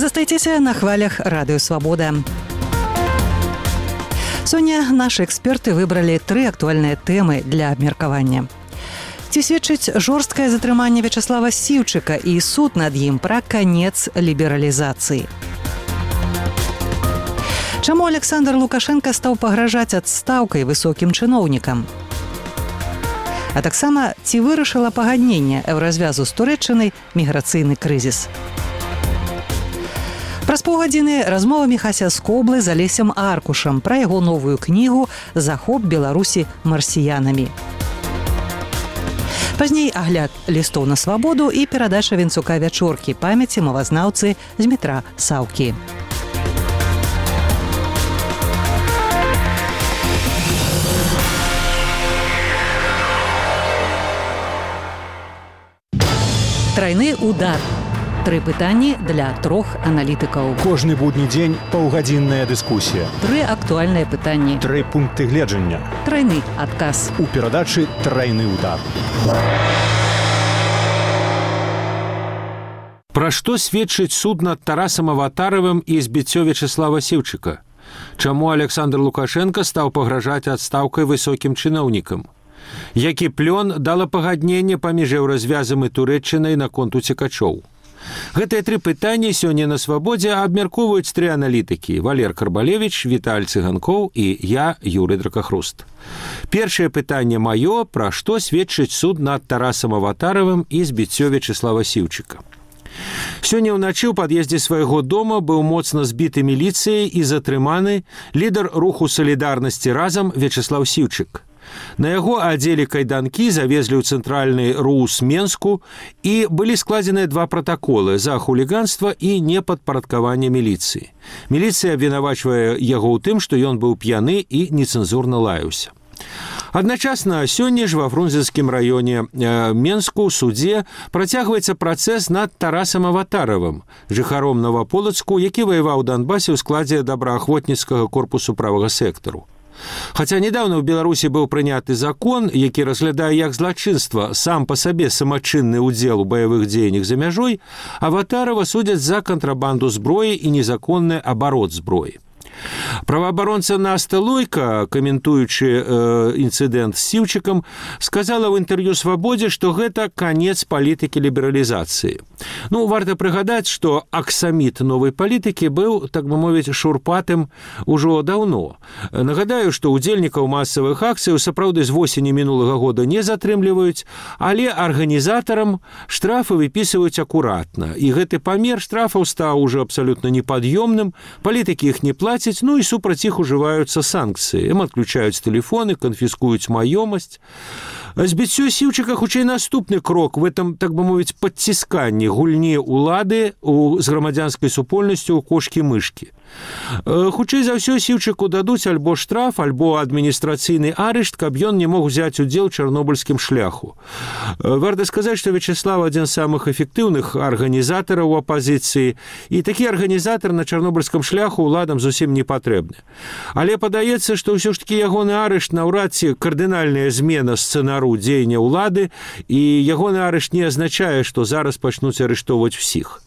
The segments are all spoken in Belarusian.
Застайцеся на хвалях Радыё Свабода. Сёння нашы эксперты выбралі 3 актуальныя тэмы для абмеркавання. Ці сведчыць жорсткае затрыманне Вячеслава Сіўчыка і суд над ім пра канец лібералізацыі? Чаму Александр Лукашенко стаў пагражаць адстаўкай высокім чыноўнікам? А таксама, ці вырашыла пагадненне еўразвязу з Турэччынай міграцыйны крызіс? Праз паўгадзіны размова Міхася Скоблы з Алесем Аркушам пра яго новую кнігу «Захоп Беларусі марсіянамі». Пазней агляд лістоў на свабоду і перадача Венцука вячоркі памяці мовазнаўцы Змітра Саўкі. Трайны удар. 3 пытанні для 3 аналітыкаў. Кожны будні дзень паўгадзінная дыскусія. 3 актуальныя пытанні. 3 пункты гледжання. Трайны адказ. У перадачы «Трайны удар». Пра што сведчыць суд над Тарасам Аватаравым і збіццё Вячеслава Сіўчыка? Чаму Александр Лукашенко стаў пагражаць адстаўкай высокім чыноўнікам? Які плён дала пагадненне паміж еўразвязам і Турэччынай наконт уцекачоў? Гэтыя 3 пытанні сёння на свабодзе абмяркоўваюць 3 аналітыкі: Валер Карбалевіч, Віталь Цыганкоў і я, Юрый Дракахруст. Першае пытанне маё: пра што сведчыць суд над Тарасам Аватаравым і збіццё Вячеслава Сіўчыка? Сёння ўначы ў пад'ездзе свайго дома быў моцна збіты міліцыяй і затрыманы лідар руху салідарнасці разам Вячеслав Сіўчык. На яго адзелі кайданкі, завезлі ў цэнтральны РУС Менску і былі складзеныя 2 пратаколы за хуліганства і непадпарадкаванне міліцыі. Міліцыя абвінавачвае яго ў тым, што ён быў п'яны і нецэнзурна лаяўся. Адначасна сёння ж ва Фрунзенскім раёне Менску ў судзе працягваецца працэс над Тарасам Аватаравым, жыхаром Новаполацку, які ваяваў у Донбасе ў складзе добраахвотніцкага корпусу правага сектару. Хаця недавно ў Беларусі быў прыняты закон, які разглядае як злачынства сам па сабе самачынны ўдзел у баявых дзеяннях за мяжой, Аватарава судзяць за кантрабанду зброі і незаконны абарот зброі. Праваабаронца Наста Лойка, каментуючы інцыдэнт з Сіўчыкам, сказала ў інтэрв'ю «Свабодзе», што гэта канец палітыкі лібералізацыі. Варта прыгадаць, што аксаміт новай палітыкі быў, так бы мовіць, шурпатым ужо даўно. Нагадаю, што удзельнікаў масавых акцый сапраўды з восені мінулага года не затрымліваюць, але арганізатарам штрафы выпісваюць акуратна. І гэты памер штрафаў стаў ужо абсалютна непад'ёмным, палітыкі іх не плацяць, і супраць іх ужываюцца санкцыі. Ім адключаюць тэлефоны, канфіскуюць маёмасць. Збіццё Сіўчыка хутчэй наступны крок в этом, так бы мовіць, падцісканні гульні ўлады з грамадзянскай супольнасцю ў кошкі-мышкі. Хутчэй за ўсё Сіўчыку дадуць альбо штраф, альбо адміністрацыйны арышт, каб ён не мог узяць удзел у чарнобыльскім шляху. Варта сказаць, што Вячеслав адзін з самых эфектыўных арганізатараў апазіцыі, і такі арганізатар на чарнобыльскім шляху ўладам зусім не патрэбны. Але падаецца, што ўсё ж такі ягоны арышт наўрад ці кардынальная змена сцэнару дзеяння ўлады, і ягоны арышт не азначае, што зараз пачнуць арыштоўваць усіх.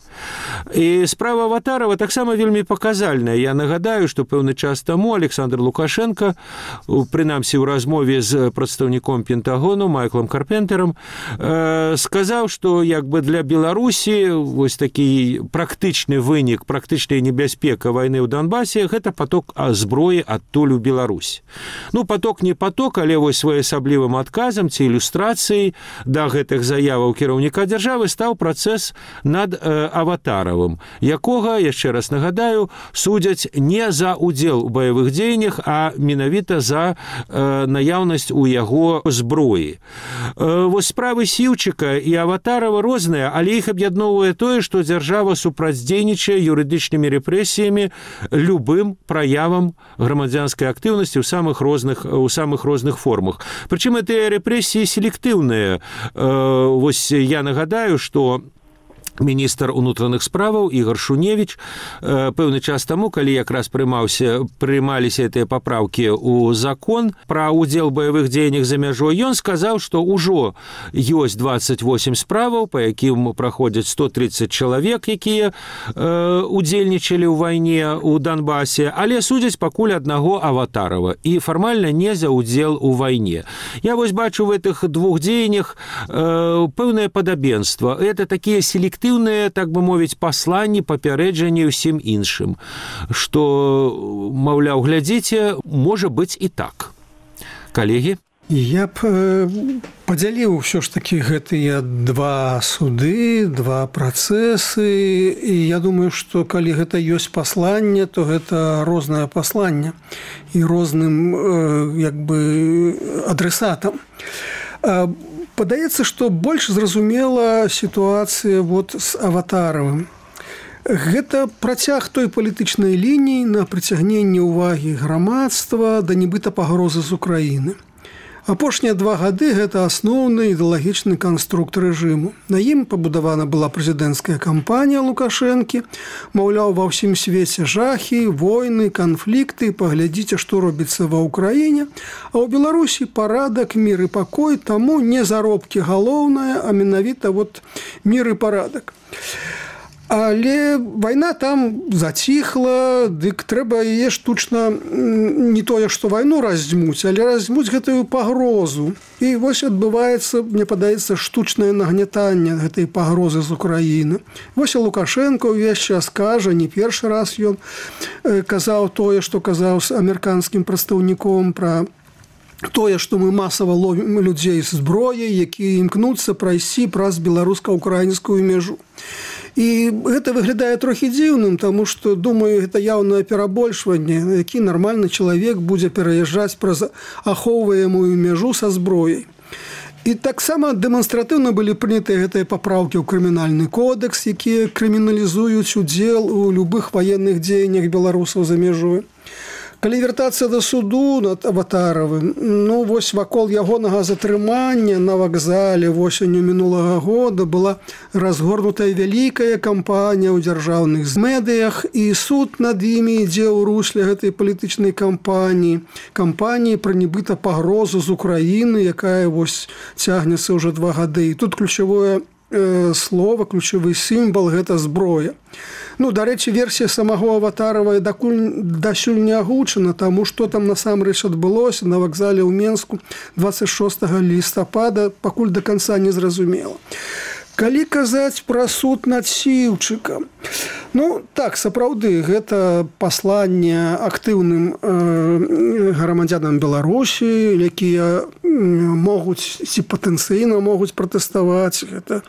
І справа Аватарава таксама вельмі паказальная. Я нагадаю, што пэўны час таму Александр Лукашенко, прынамсі ў размове з прадстаўніком Пентагону Майклам Карпентэрам, сказаў, што як бы для Беларусі вось такі практычны вынік, практычная небяспека вайны ў Донбасе — гэта паток зброі адтуль у Беларусь. Паток не паток, але вось своеасаблівым адказам ці ілюстрацыяй да гэтых заяваў кіраўніка дзяржавы стаў працэс над Аватаравым, якога, яшчэ раз нагадаю, судзяць не за ўдзел у баявых дзеяннях, а менавіта за наяўнасць у яго зброі. Вось справы Сіўчыка і Аватарава розныя, але іх аб'ядноўвае тое, што дзяржава супрацьдзейнічае юрыдычнымі рэпрэсіямі любым праявам грамадзянскай актыўнасці ў самых розных формах. Прычым гэтыя рэпрэсіі селектыўныя. Вось я нагадаю, што міністр унутраных справаў Ігор Шуневіч пэўны час таму, калі якраз прымаліся гэтыя папраўкі ў закон пра ўдзел баявых дзеяннях за мяжой, ён сказаў, што ўжо ёсць 28 справаў, па якім праходзяць 130 чалавек, якія удзельнічалі ў вайне ў Донбасе, але судзяць пакуль аднаго Аватарова і фармальна не за ўдзел у вайне. Я вось бачу в гэтых двух дзеяннях пэўнае падабенства. Это такія селектыўныя, так бы мовіць, пасланні, папярэджанні ўсім іншым, што, маўляў, глядзіце, можа быць і так. Калегі? Я б падзяліў ўсё ж такі гэтыя два суды, два працэсы, і я думаю, што калі гэта ёсць пасланне, то гэта рознае пасланне і розным як бы адресатам. Падаецца, што больш зразумела сітуацыя з Аватаравым. Гэта працяг той палітычнай лініі на прыцягненне ўвагі грамадства да нібыта пагрозы з Украіны. Апошнія 2 гады гэта асноўны ідэалагічны канструкт рэжыму. На ім пабудавана была прэзідэнцкая кампанія Лукашэнкі, маўляў, ва ўсім свеце жахі, войны, канфлікты, паглядзіце, што робіцца ва ўкраіне, а ў Беларусі парадак, мір і пакой, таму не заробкі галоўнае, а менавіта мір і парадак. Але вайна там заціхла, дык трэба яе штучна не тое, што вайну раздзьмуць, але раздзьмуць гэтую пагрозу. І вось адбываецца, мне падаецца, штучнае нагнятанне гэтай пагрозы з Украіны. Вось і Лукашенко ўвесь час кажа, не першы раз ён казаў тое, што казаў з амерыканскім прадстаўніком пра тое, што мы масава ловім людзей з зброяй, якія імкнуцца прайсці праз беларуска-украінскую мяжу. І гэта выглядае трохі дзіўным, таму што, думаю, гэта яўнае перабольшванне, які нармальны чалавек будзе пераязджаць праз ахоўваемую мяжу са зброяй. І таксама дэманстратыўна былі прынятыя гэтыя папраўкі ў крымінальны кодекс, якія крыміналізуюць удзел у любых ваенных дзеяннях беларусаў за мяжой. Калі вяртацца да суду над Аватаравым, вось вакол ягонага затрымання на вакзале восенню мінулага года была разгорнутая вялікая кампанія ў дзяржаўных медыях, і суд над імі ідзе ў русле гэтай палітычнай кампаніі пра нібыта пагрозу з Украіны, якая цягнецца ўжо 2 гады. І тут ключавое слова, ключавы сімвал – гэта зброя. Дарэчы, версія самого Аватарова дасюль не агучана, таму што там насамрэч адбылося на вакзале ў Менску 26 лістапада, пакуль да канца не зразумела. Калі казаць пра суд над Сіўчыкам, так, сапраўды, гэта пасланне актыўным грамадзянам Беларусі, якія могуць ці патэнцыйна могуць пратэставаць, гэта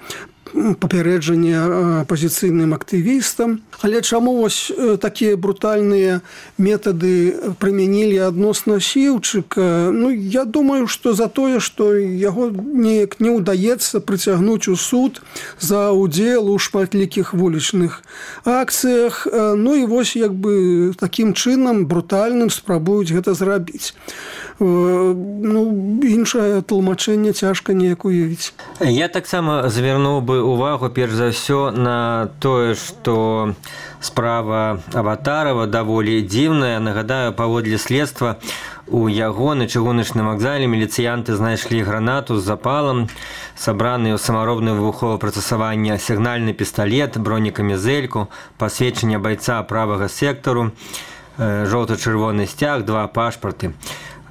папярэджанне апазіцыйным актывістам. Але чаму такія брутальныя метады прымянілі адносна Сіўчыка? Я думаю, што за тое, што яго неяк не ўдаецца прыцягнуць у суд за ўдзел у шматлікіх вулічных акцыях. І вось такім чынам брутальным спрабуюць гэта зрабіць. Іншае тлумачэнне цяжка неяк уявіць. Я таксама звярнуў бы увагу перш за ўсё на тое, што справа Аватарова даволі дзіўная. Нагадаю, паводле следства у яго на чыгуначным вакзале міліцыянты знайшлі гранату з запалам, сабраны ў самаробнае выбуховае прыстасаванне сігнальны пісталет, бронекамізэльку, пасведчанне байца правага сектару, жоўта-чырвоны сцяг, 2 пашпарты.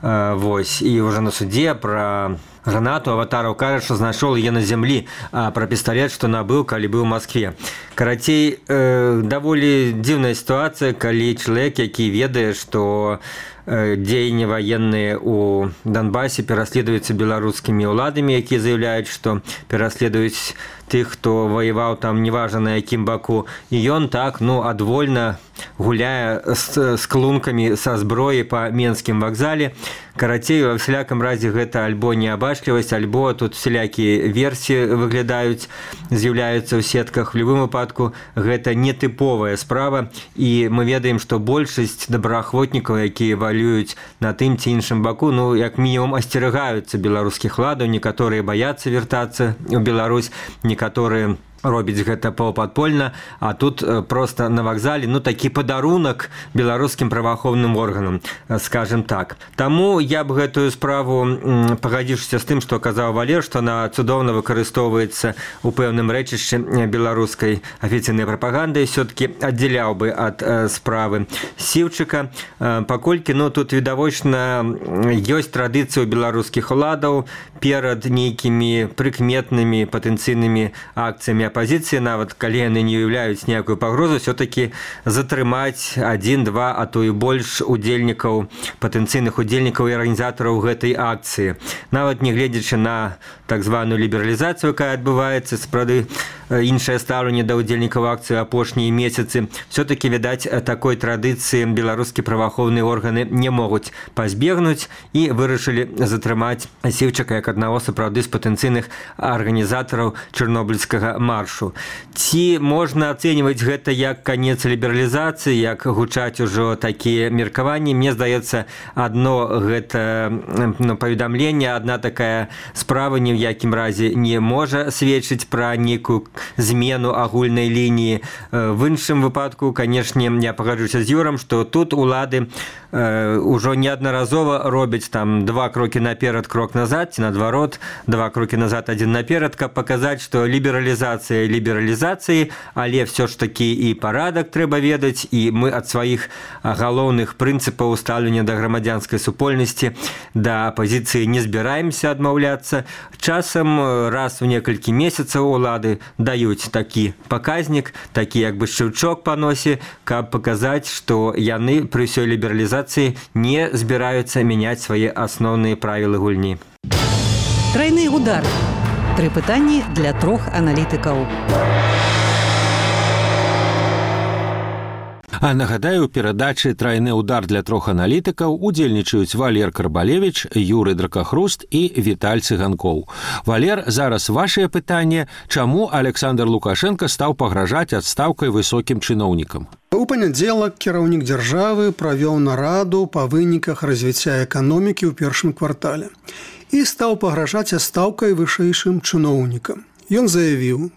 І ўжо на судзе пра гранату Аватаров кажа, што знайшоў яе на зямлі, а пра пісталет, што набыў, калі быў у Маскве. Карацей, даволі дзіўная сітуацыя, калі чалавек, які ведае, што дзеянні ваенныя ў Донбасе пераследуюцца беларускімі ўладамі, якія заяўляюць, што пераследуюць тых, хто ваяваў там неважна на якім баку, і ён так, адвольна гуляе з клункамі са зброі па Менскім вакзале. Карацей, ва всялякам разе гэта альбо неабачлівасць, альбо тут всялякія версіі выглядаюць, з'яўляюцца ў сетках. В любым выпадку гэта нетыповая справа, і мы ведаем, што большасць добраахвотнікаў, якія валююць на тым ці іншым баку, як мінімум асцерагаюцца беларускіх уладаў, некаторыя баяцца вяртацца ў Беларусь, некаторыя робіць гэта паўпадпольна, а тут просто на вакзале такі падарунак беларускім праваахоўным органам, скажем так. Таму я б гэтую справу, пагадзіўшыся з тым, што казаў Валер, што она цудоўна выкарыстоўваецца у пэўным рэчышчы беларускай афіцыйнай прапаганды, все-таки аддзяляў бы ад справы Сіўчыка, паколькі тут відавочна ёсць традыцыя ў беларускіх уладаў перад нейкімі прыкметнымі патэнцыйнымі акцыямі апозіцыі, нават калі яны не уяўляюць ніякую пагрозу, все-таки затрымаць 1-2, а то і больш удзельнікаў, патэнцыйных удзельнікаў і арганізатараў гэтай акцыі. Нават не гледзячы на так званую лібералізацыю, якая адбываецца, справды іншае стаўленне да ўдзельнікаў акцыі апошнія месяцы, все-таки, відаць, такой традыцыі беларускія праваахоўныя органы не могуць пазбегнуць і вырашылі затрымаць Сіўчыка як аднаго сапраўды з патэнцыйных арганізатараў чарнобыльскага маршу. Ці можна ацэньваць гэта як канец лібералізацыі, як гучаць ужо такія меркаванні? Мне здаецца, адно гэта паведамленне, адна такая справа ні ў якім разе не можа сведчыць пра нейкую змену агульнай лініі. В іншым выпадку, канешне, я пагаджуся з Юрам, што тут улады ўжо неаднаразова робяць там 2 крокі наперад, крок назад, ці наадварот, 2 крокі назад, 1 наперад, каб паказаць, што лібералізацыя лібералізацыі, але все ж такі і парадак трэба ведаць, і мы ад сваіх галоўных прынцыпаў стаўлення да грамадзянскай супольнасці, да апозіцыі не збіраемся адмаўляцца. Часам раз у некалькі месяцаў улады даюць такі паказнік, такі як бы шчыўчок па носе, каб паказаць, што яны пры ўсёй лібералізацыі не збіраюцца мяняць свае асноўныя правілы гульні. Трайны удар. 3 пытанні для 3 аналітыкаў. А нагадаю, у перадачы «Трайны удар» для 3 аналітыкаў удзельнічаюць Валер Карбалевіч, Юры Дракахруст і Віталь Цыганкоў. Валер, зараз вашае пытанне. Чаму Александр Лукашенко стаў пагражаць адстаўкай высокім чыноўнікам? У панядзелак кіраўнік дзяржавы правёў нараду па выніках развіцця эканомікі ў першым квартале і стаў пагражаць адстаўкай вышэйшым чыноўнікам. Ён заявіў: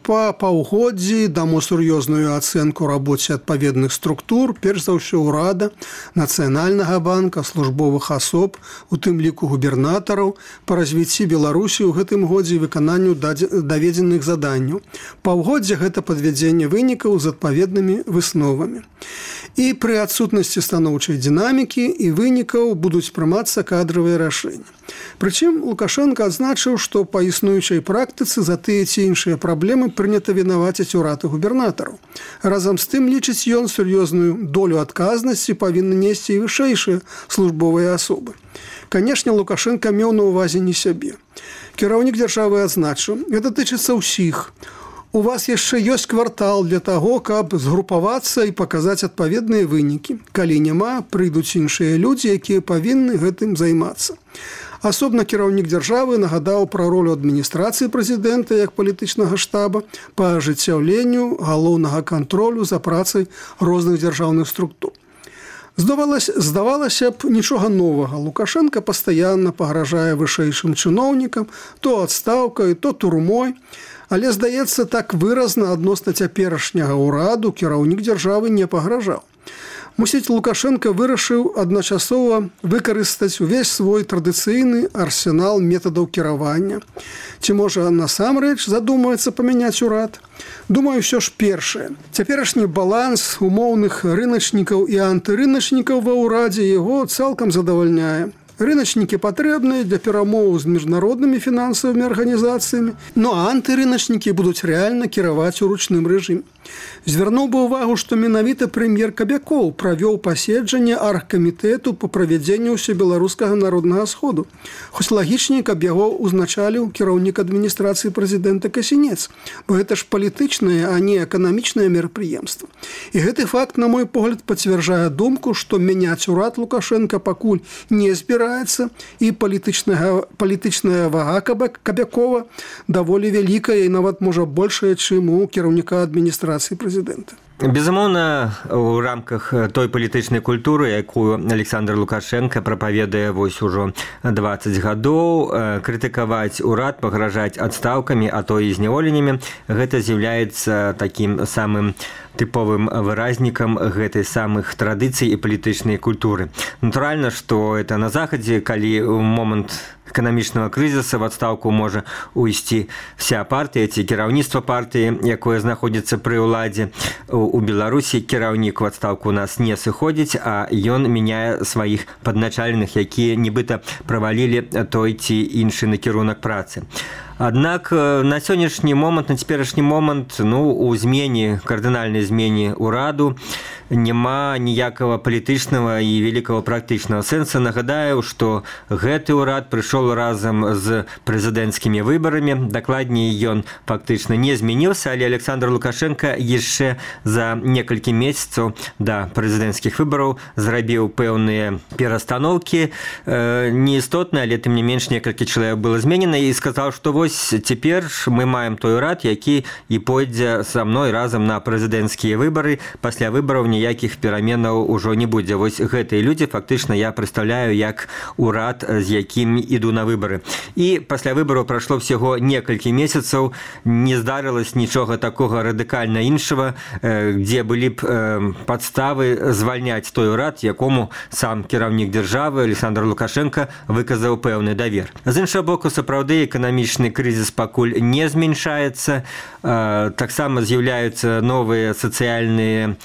па паўгоддзі даму сур'ёзную ацэнку рабоце адпаведных структур, перш за ўсё ўрада, Нацыянальнага банка, службовых асоб, у тым ліку губернатараў, па развіцці Беларусі ў гэтым годзе выкананню даведзеных заданняў. Паўгоддзя гэта падвядзенне вынікаў з адпаведнымі высновамі. І пры адсутнасці станоўчай дынамікі і вынікаў будуць прымацца кадравыя рашэнні. Прычым Лукашенко адзначыў, што па існуючай практыцы за тыя ці іншыя праблемы прынята вінаваціць урад і губернатараў. Разам з тым, лічыць ён, сур'ёзную долю адказнасці павінны несці і вышэйшыя службовыя асобы. Канешне, Лукашенко меў на ўвазе не сябе. Кіраўнік дзяржавы адзначыў: гэта тычыцца ўсіх. У вас яшчэ ёсць квартал для таго, каб згрупавацца і паказаць адпаведныя вынікі. Калі няма, прыйдуць іншыя людзі, якія павінны гэтым займацца. Асобна кіраўнік дзяржавы нагадаў пра ролю адміністрацыі прэзідэнта як палітычнага штаба па ажыццяўленню галоўнага кантролю за працай розных дзяржаўных структур. Здавалася б, нічога новага. Лукашенко пастаянна пагражае вышэйшым чыноўнікам, то адстаўкай, то турмой. Але, здаецца, так выразна адносна цяперашняга ўраду кіраўнік дзяржавы не пагражаў. Мусіць, Лукашенко вырашыў адначасова выкарыстаць увесь свой традыцыйны арсенал метадаў кіравання. Ці можа насамрэч задумаецца памяняць урад? Думаю, ўсё ж першае. Цяперашні баланс умоўных рыначнікаў і антырыначнікаў ва ўрадзе яго цалкам задавальняе. Рыначнікі патрэбныя для перамоў з міжнароднымі фінансавымі арганізацыямі, а антырыначнікі будуць рэальна кіраваць у ручным рэжыме. Звярнуў бы ўвагу, што менавіта прэм'ер Кабякоў правёў паседжанне аргкамітэту па правядзенню ўсебеларускага народнага сходу. Хоць лагічней, каб яго узначаліў кіраўнік адміністрацыі прэзідэнта Касінец, бо гэта ж палітычнае, а не эканамічнае мерапрыемства. І гэты факт, на мой погляд, пацвярджае думку, што мяняць урад Лукашенка пакуль не збіраецца, і палітычная вага Кабякова даволі вялікая і нават можа большая, чым у кіраўніка адміністрацыі прэзідэнта. Безумоўна, у рамках той палітычнай культуры, якую Александр Лукашенко прапаведае вось ужо 20 гадоў, крытыкаваць урад, пагражаць адстаўкамі, а то і зняволеннямі, гэта з'яўляецца такім самым тыповым выразнікам гэтай самых традыцый і палітычнай культуры. Натуральна, што это на захадзе, калі ў момант эканамічнага крызіса в адстаўку можа уйсці вся партыя ці кіраўніцтва партыі, якое знаходзіцца пры ўладзе. У Беларусі кіраўнік у адстаўку у нас не сыходзіць, а ён мяняе сваіх падначаленых, якія нібыта правалілі той ці іншы накірунак працы. Аднак на сённяшні момант, на цяперашні момант, у змене, кардынальнай змене ўраду няма ніякага палітычнага і вялікага практычнага сэнса. Нагадаю, што гэты ўрад прыйшоў разам з прэзідэнцкімі выбарамі. Дакладней, ён фактычна не змяніўся, але Александр Лукашенко яшчэ за некалькі месяцаў да прэзідэнцкіх выбараў зрабіў пэўныя перастаноўкі. Неістотна, але тым не менш некалькі чалавек было зменена і сказаў, што вось цяпер мы маем той урад, які і пойдзе са мной разам на прэзідэнцкія выбары. Пасля выбараў ніякіх пераменаў ужо не будзе. Вось гэтыя людзі фактычна я прадстаўляю як урад, з якім іду на выбары. І пасля выбараў прайшло всяго некалькі месяцаў, не здарылось нічога такога радыкальна іншага, дзе былі б падставы звальняць той урад, якому сам кіраўнік дзяржавы Александр Лукашенко выказаў пэўны давер. З іншага боку, сапраўды эканамічны крызіс пакуль не зменшаецца, таксама з'яўляюцца новыя сацыяльныя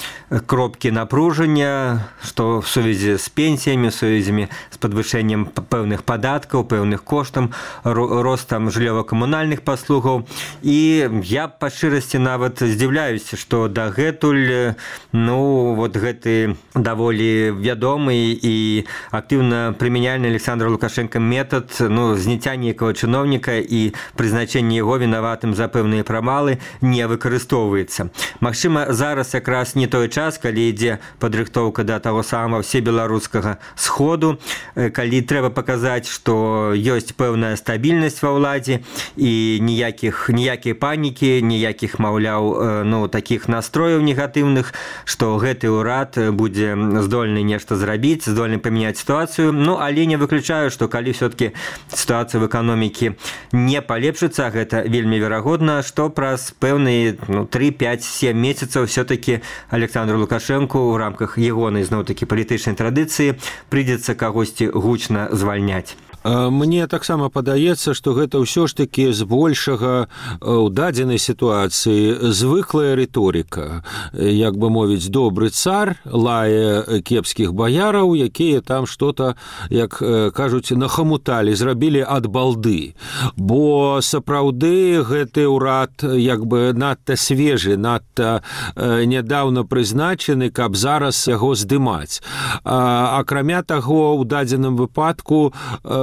кропкі напружання, што в сувязі з пенсіямі, в сувязі з падвышэннем пэўных падаткаў, пэўных коштам, ростам жыллёва-камунальных паслугаў. І я па шчырасці нават здзіўляюся, што дагэтуль вот гэты даволі вядомы і актыўна прымяняльны Александр Лукашенко метад зняцця нейкага чыноўніка і прызначэнне яго вінаватым за пэўныя прамалы не выкарыстоўваецца. Магчыма, зараз якраз не той час, калі ідзе падрыхтоўка да таго самага всебеларускага сходу, калі трэба паказаць, што ёсць пэўная стабільнасць ва ўладзе і ніякай панікі, ніякіх, маўляў, такіх настрояў негатыўных, што гэты ўрад будзе здольны нешта зрабіць, здольны памяняць сітуацыю. Але не выключаю, што калі все-таки сітуацыя в эканомікі не палепшыцца, гэта вельмі верагодна, што праз пэўныя 3-5-7 месяцаў все-таки Александру Лукашенко ў рамках ягонай зноў-такі палітычнай традыцыі прыйдзецца кагосьці гучна звальняць. Мне таксама падаецца, што гэта ўсё ж такі збольшага ў дадзенай сітуацыі звыклая рыторыка. Як бы мовіць, добры цар лае кепскіх баяраў, якія там што-то, як кажуць, нахамуталі, зрабілі ад балды. Бо сапраўды гэты ўрад як бы надта свежы, надта нядаўна прызначаны, каб зараз яго здымаць. Акрамя таго, у дадзеным выпадку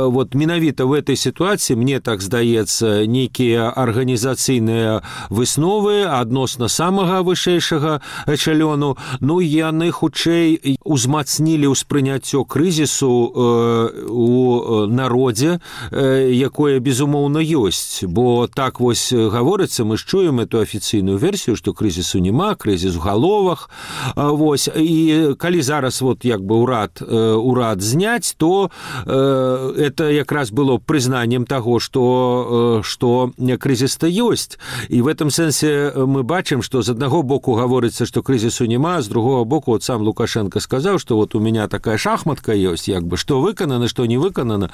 менавіта в этой сітуацыі, мне так здаецца, нейкія арганізацыйныя высновы адносна самага вышэйшага эчалёну, яны хутчэй узмацнілі ўспрыняццё крызісу у народзе, якое, безумоўна, ёсць. Бо так вось гаворыцца, мы ж чуем эту афіцыйную версію, што крызісу няма, крызіс у галовах. І калі зараз як бы урад зняць, то это якраз было прызнаннем таго, што крызіс-то ёсць. І в этом сэнсе мы бачым, што з аднаго боку гаворыцца, што крызісу няма, з другого боку сам Лукашенко сказаў, што у меня такая шахматка ёсць, як бы, што выканана, што не выканана.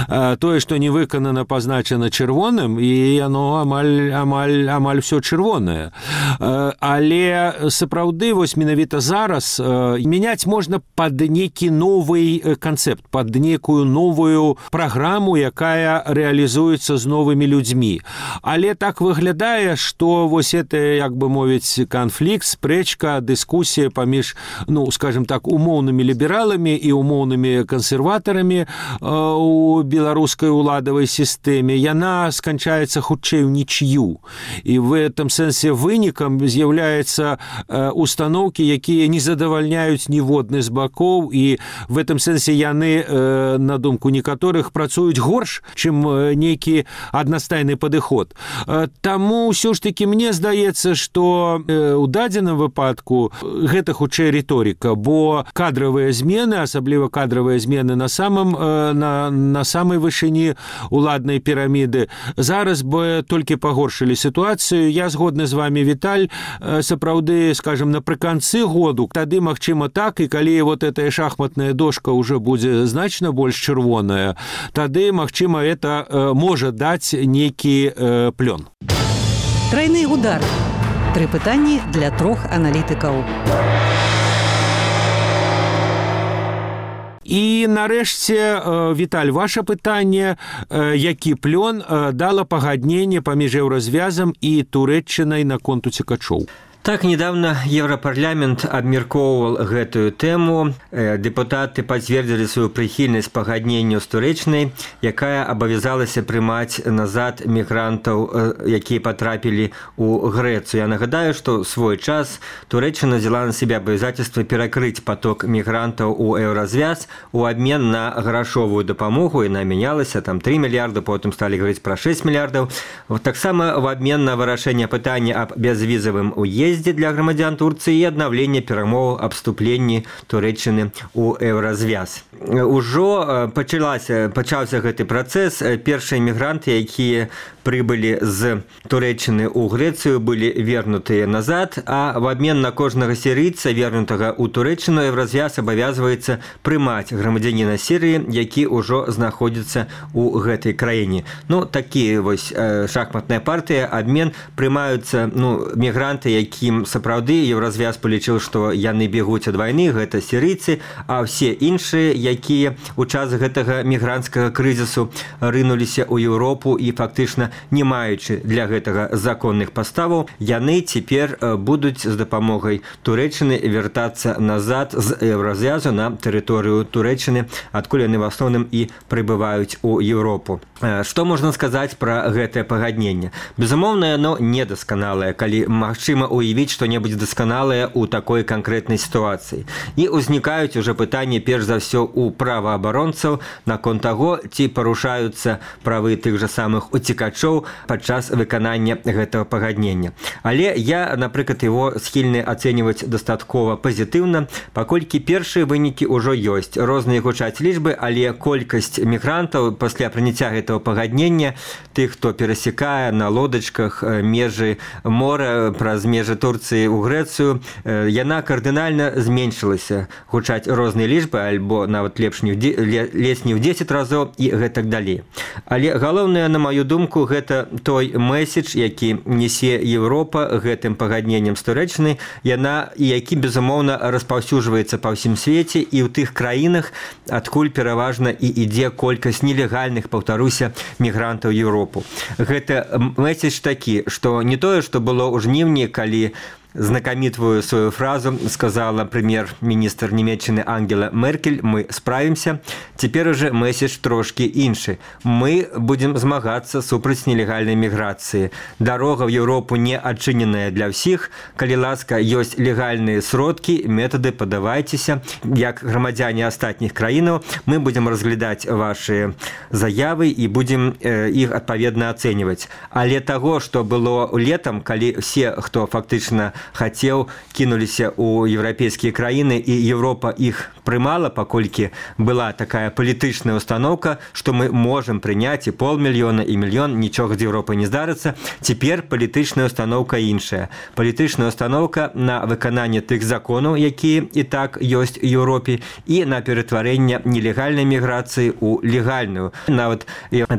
Тое, што не выканана, пазначана чырвоным, і яно амаль всё чырвонае. Але сапраўды, вось менавіта зараз мяняць можна пад нейкі новы канцэпт, пад нейкую новую праграму, якая рэалізуецца з новымі людзьмі. Але так выглядае, што вось это, як бы мовіць, канфлікт, спрэчка, дыскусія паміж, скажем так, умоўнымі лібераламі і умоўнымі кансерватарамі у беларускай уладавай сістэме, яна сканчаецца хутчэй у нічью. І в этом сэнсе вынікам з'яўляецца установкі, якія не задавальняюць ніводны з бакоў, і в этом сэнсе яны, на думку некаторых, некаторых працуюць горш, чым нейкі аднастайны падыход. Таму ўсё ж такі мне здаецца, што ў дадзеным выпадку гэта хутчэй рыторыка, бо кадравыя змены, асабліва кадравыя змены на самай вышыні уладнай піраміды, зараз бы толькі пагоршылі сітуацыю. Я згодны з вами, Віталь, сапраўды, скажем, напрыканцы году, тады, магчыма, так, і калі вот эта шахматная дошка ўжо будзе значна больш чырвоная, тады, магчыма, это можа даць нейкі плён. Тройны удар. 3 пытанні для 3 аналітыкаў. І нарэшце, Віталь, ваше пытанне, які плён дала пагадненне паміж еўразвязам і Турэччынай наконт уцекачоў? Так, недавно Европарламент абмяркоўваў гэтую тэму. Дэпутаты пацвердзілі сваю прыхільнасць пагадненню з Турэччынай, якая абавязалася прымаць назад мігрантаў, якія патрапілі ў Грэцыю. Я нагадаю, што ў свой час Турэччына взяла на себе абавязательства перакрыць поток мігрантаў у еўразвяз у абмен на грашовую дапамогу. Яна мянялася, там 3 мільярды, потым сталі гаварыць пра 6 мільярдаў. Таксама в абмен на вырашэнне пытання аб бязвізавым уездзе для грамадзян Турцыі і аднаўленне перамоваў аб вступленні Турэччыны ў еўразвяз. Ужо пачаўся гэты працэс. Першыя мігранты, якія прыбылі з Турэччыны ў Грэцыю, былі вернутыя назад, а в абмен на кожнага сірыйца, вернутага ў Турэччыну, еўразвяз абавязваецца прымаць грамадзяніна Сірыі, які ўжо знаходзіцца ў гэтай краіне. Такі вось шахматная партыя, абмен, прымаюцца мігранты, якім сапраўды еўразвяз палічыў, што яны бегуць ад вайны, гэта сірыйцы, а ўсе іншыя, якія ў час гэтага мігранцкага крызісу рынуліся ў Еўропу і фактычна не маючы для гэтага законных паставаў, яны цяпер будуць з дапамогай Турэччыны вяртацца назад з еўразвязу на тэрыторыю Турэччыны, адкуль яны в асноўным і прыбываюць у Еўропу. Што можна сказаць пра гэтае пагадненне? Безумоўна, яно недасканалае, калі магчыма уявіць што-небудзь дасканалае ў такой канкрэтнай сітуацыі. І ўзнікаюць уже пытанні перш за ўсё у праваабаронцаў наконт таго, ці парушаюцца правы тых жа самых уцекачоў падчас выканання гэтага пагаднення. Але я, напрыклад, его схільны ацэньваць дастаткова пазітыўна, паколькі першыя вынікі ўжо ёсць. Розныя гучаць лічбы, але колькасць мігрантаў пасля прыняцця гэтага пагаднення, тых, хто перасекае на лодачках межы мора праз межы Турцыі ў Грэцыю, яна кардынальна зменшылася. Гучаць розныя лічбы, альбо нават лепш не ў 10 разоў і гэтак далей. Але галоўнае, на маю думку, гэта той месседж, які несе Еўропа гэтым пагадненнем з Турэччынай, яна і які, безумоўна, распаўсюджваецца па ўсім свеце і ў тых краінах, адкуль пераважна і ідзе колькасць нелегальных, паўтаруся, мігрантаў Еўропу. Гэта месседж такі, што не тое, што было ў жніўні, калі знакомитую свою фразу сказала премьер-министр Німеччыны Ангела Меркель: мы справимся. Теперь уже месседж трошки іншы. Мы будем змагацца супраць нелегальнай міграцыі. Дорога в Европу не адчыненая для всіх. Калі ласка, ёсць легальныя сродкі, методы, падавайцеся. Як грамадзяне астатніх краінаў, мы будем разглядаць ваши заявы і будем іх адпаведна ацэньваць. Але таго, што было летом, калі все, хто фактычна хацеў, кінуліся ў еўрапейскія краіны, і Еўропа іх прымала, паколькі была такая палітычная установка, што мы можам прыняць і 500 000 і 1 000 000, нічога з Еўропай не здарыцца. Цяпер палітычная установка іншая. Палітычная установка на выкананне тых законаў, якія і так ёсць у Еўропе, і на ператварэнне нелегальнай міграцыі ў легальную. Нават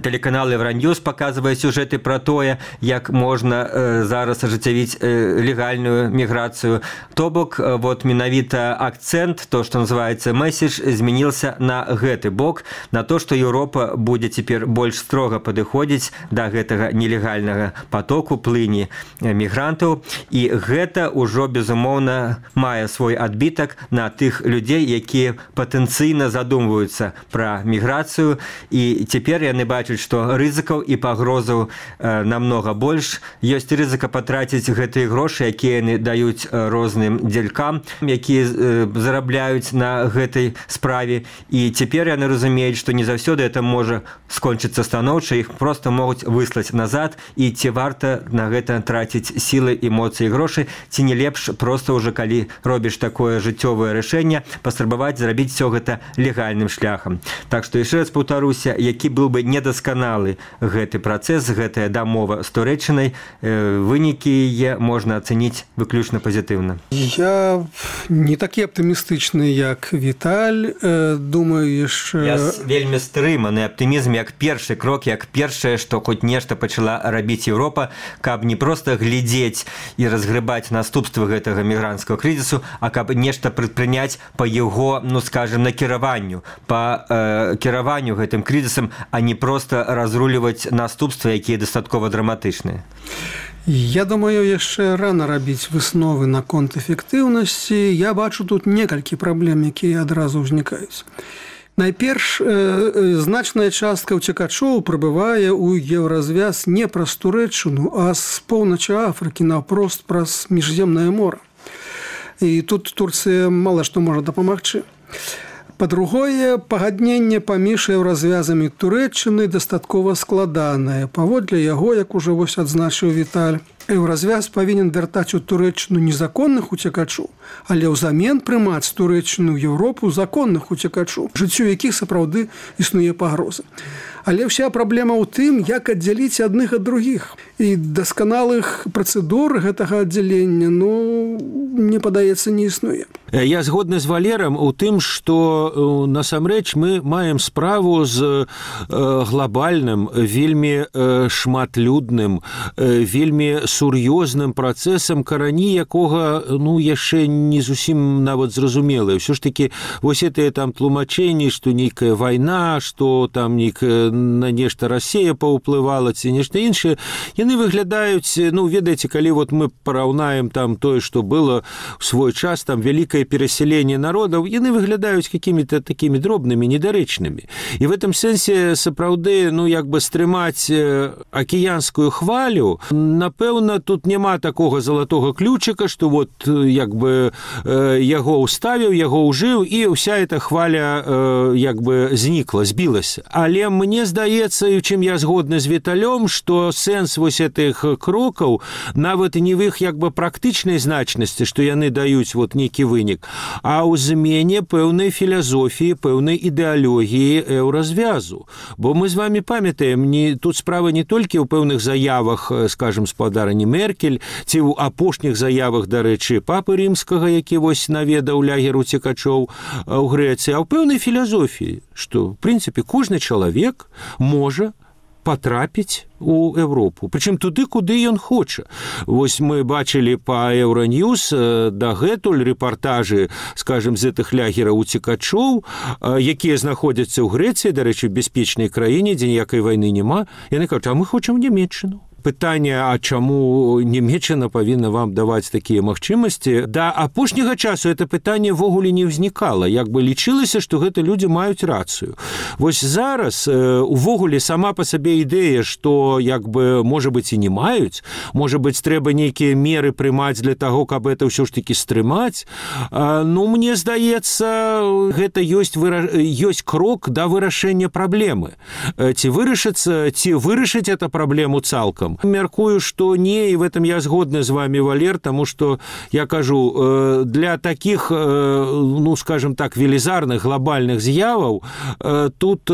тэлеканал Евроньюз паказвае сюжэты пра тое, як можна зараз ажыццявіць легальную міграцыю. То бок, вот менавіта акцент, то, што называецца месседж, змянился на гэты бок, на то, што Еўропа будзе цяпер больш строга падыходзіць да гэтага нелегальнага потоку, плыні мігрантаў, і гэта ўжо, безумоўна, мае свой адбітак на тых людзей, якія патэнцыйна задумваюцца пра міграцыю, і цяпер яны бачаць, што рызыкаў і пагрозаў намнога больш. Ёсць рызыка патраціць гэтыя грошы, якія краіны даюць розным дзелькам, якія зарабляюць на гэтай справе. І цяпер яны разумеюць, што не заўсёды это можа скончыцца станоўча, іх проста могуць выслаць назад, і ці варта на гэта траціць сілы, эмоцыі і грошы, ці не лепш проста ўжо калі робіш такое жыццёвае рашэнне, паспрабаваць зрабіць все гэта легальным шляхам. Так што яшчэ раз паўтаруся, які быў бы недасканалы гэты працэс, гэтая дамова з Турэччынай, вынікі яе можна ацэніць выключна пазітыўна. Я не такі аптымістычны, як Віталь. Думаю, яшчэ... Я вельмі стрыманы аптымізм, як першы крок, як першае, што хоць нешта пачала рабіць Еўропа, каб не проста глядзець і разгрыбаць наступствы гэтага мігрантскага крызісу, а каб нешта прадпрыняць па яго, ну скажем, накіраванню, па кіраванню гэтым крызісам, а не проста разруліваць наступствы, якія дастаткова драматычныя. Я думаю, яшчэ рана рабіць высновы наконт эфектыўнасці. Я бачу тут некалькі праблем, якія адразу ўзнікаюць. Найперш, значная частка ўцекачоў прыбывае ў еўразвяз не праз Турэччыну, а з поўначы Афрыкі наўпрост праз міжземнае мора. І тут Турцыя мала што можа дапамагчы. Па-другое, пагадненне паміж еўразвязамі Турэччыны дастаткова складанае. Паводле яго, як ужо вось адзначыў Віталь, еўразвяз павінен вяртаць у Турэччыну незаконных уцекачоў, але ўзамен прымаць Турэччыну ў Еўропу законных уцекачоў, жыццю якіх сапраўды існуе пагроза. Але ўся праблема ў тым, як аддзяліць адных ад другіх. І дасканалых працэдур гэтага аддзялення, мне падаецца, не існуе. Я згодны з Валерам у тым, што насамрэч мы маем справу з глобальным, вельмі шматлюдным, вельмі сур'ёзным працэсам, карані якога яшчэ не зусім нават зразумелыя. Ўсё ж такі вось гэтыя там тлумачэнні, што нейкая вайна, што там на нешта Расія паўплывала ці нешта іншае, яны выглядаюць, ведаеце, калі вот мы параўнаем там тое, што было в свой час, там вялікае пераселенне народаў, яны выглядаюць какімі-то такімі дробнымі, недарэчнымі. І в этом сэнсе сапраўды, стрымаць акіянскую хвалю, напэўна, тут няма такога залатога ключыка, што вот яго ўставіў, яго ўжыў, і ўся эта хваля знікла, збілася. Але мне здаецца, і чым я згодны з Віталём, што сэнс вось этих крокаў нават не в іх практычнай значнасці, што яны даюць вот нейкі вынік, а ў змене пэўнай філасофіі, пэўнай ідэалогіі еўразвязу. Бо мы з вами памятаем, тут справа не толькі ў пэўных заявах, скажем, спадарні Меркель, ці ў апошніх заявах, дарэчы, папы рымскага, які вось наведаў лагер уцекачоў у Грэцыі, а ў пэўнай філасофіі, што, в прынцыпе, кожны чалавек можа патрапіць у Европу. Прычым туды, куды ён хоча. Вось мы бачылі па Еўраньюз дагэтуль рэпартажы, скажем, з гэтых лягераў уцекачоў, якія знаходзяцца ў Грэцыі, дарэчы, в бяспечнай краіне, дзе ніякай вайны няма. Яны кажуць, а мы хочам Нямецчыну. Пытанне, а чаму Нямецчына павінна вам даваць такія магчымасці? Да апошняга часу это пытанне ввогуле не ўзнікала. Лічылася, што гэта людзі маюць рацыю. Вось зараз увогуле сама па сабе ідэя, што можа быць і не маюць, можа быць трэба нейкія меры прымаць для таго, каб это ўсё ж такі стрымаць. Мне здаецца, гэта ёсць крок да вырашэння праблемы. Ці вырашыць эту праблему цалкам? Мяркую, што не, і в этом я згодны з вами, Валер, таму што, я кажу, для такіх, скажем так, велізарных, глобальных з'яваў тут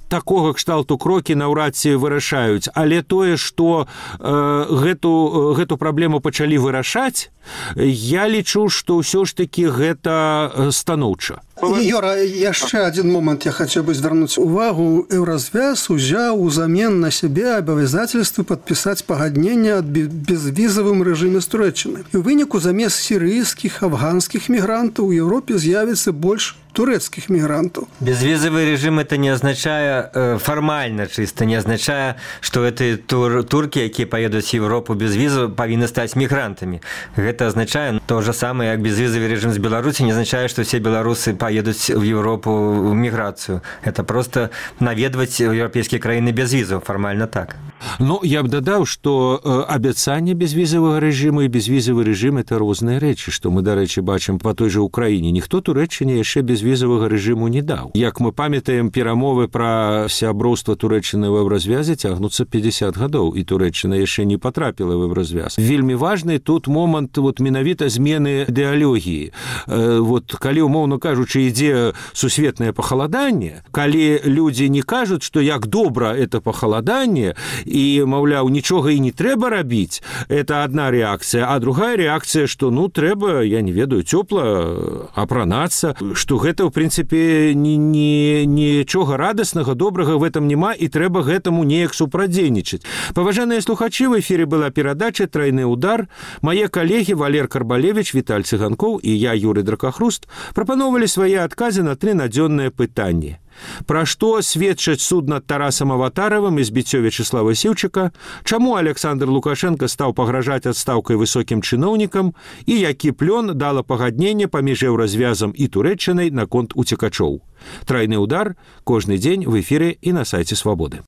такога кшталту крокі наўрад ці вырашаюць. Але тое, што гэту праблему пачалі вырашаць, я лічу, што ўсё ж такі гэта станоўча. Юра, яшчэ адзін момант я хацеў бы звярнуць увагу. Еўразвяз узяў узамен на сябе абавязательствы падпісаць пагадненне аб безвізавым рэжыме з Турэччынай. І ў выніку замест сірыйскіх, афганскіх мігрантаў у Еўропе з'явіцца больш турэцкіх мігрантаў. Безвизовый режим это не означает, формально чисто не означает, что это турки, которые поедут в Европу без визы, повинны стать мигрантами. Это означает то же самое, как безвизовый режим с Беларуси не означает, что все белорусы поедут в Европу в миграцию. Это просто наведывать европейские краины без визов, формально так. Ну, я б дадаў, што абяцанне безвізавага рэжыму і безвізавы рэжым – это розныя рэчы, што мы, дарэчы, бачым па той жа Украіне. Ніхто Турэччыне яшчэ безвізавага рэжыму не даў. Як мы памятаем, перамовы пра сяброўства Турэччыны ў еўразвязе цягнуцца 50 гадоў, і Турэччына яшчэ не патрапіла в еўразвяз. Вельмі важны тут момант менавіта змены ідэалогіі. Калі, умоўна кажучы, ідзе сусветнае пахаладанне, калі людзі не кажуць, што як добра это пахаладанне, і, маўляў, нічога і не трэба рабіць, это одна рэакцыя, а другая рэакцыя, што, трэба, я не ведаю, цёпла апранацца, што гэта, ў прынцыпе, нічога радаснага, добрага в этом няма, і трэба гэтаму неяк супрадзейнічаць. Паважаныя слухачы, в эфіры была перадача «Трайны удар». Мае калегі Валер Карбалевич, Віталь Цыганкоў і я, Юрый Дракахруст, прапановалі свае адказы на 3 надзённыя пытанні. Пра што сведчаць суд над Тарасам Аватаравым і збіццё Вячеслава Сіўчыка, чаму Александр Лукашенко стаў пагражаць адстаўкай высокім чыноўнікам і які плён дала пагадненне паміж еўразвязам і Турэччынай наконт уцекачоў. «Трайны удар» кожны дзень в эфіры і на сайце Свабоды.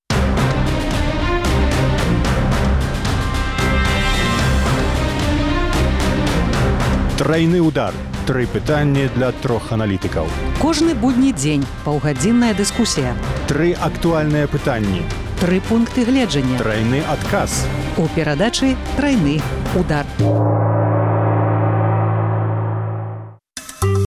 Трайны удар. 3 пытанні для 3 аналітыкаў. Кожны будні дзень паўгадзінная дыскусія. 3 актуальныя пытанні. 3 пункты гледжання. Трайны адказ. У перадачы «Трайны удар».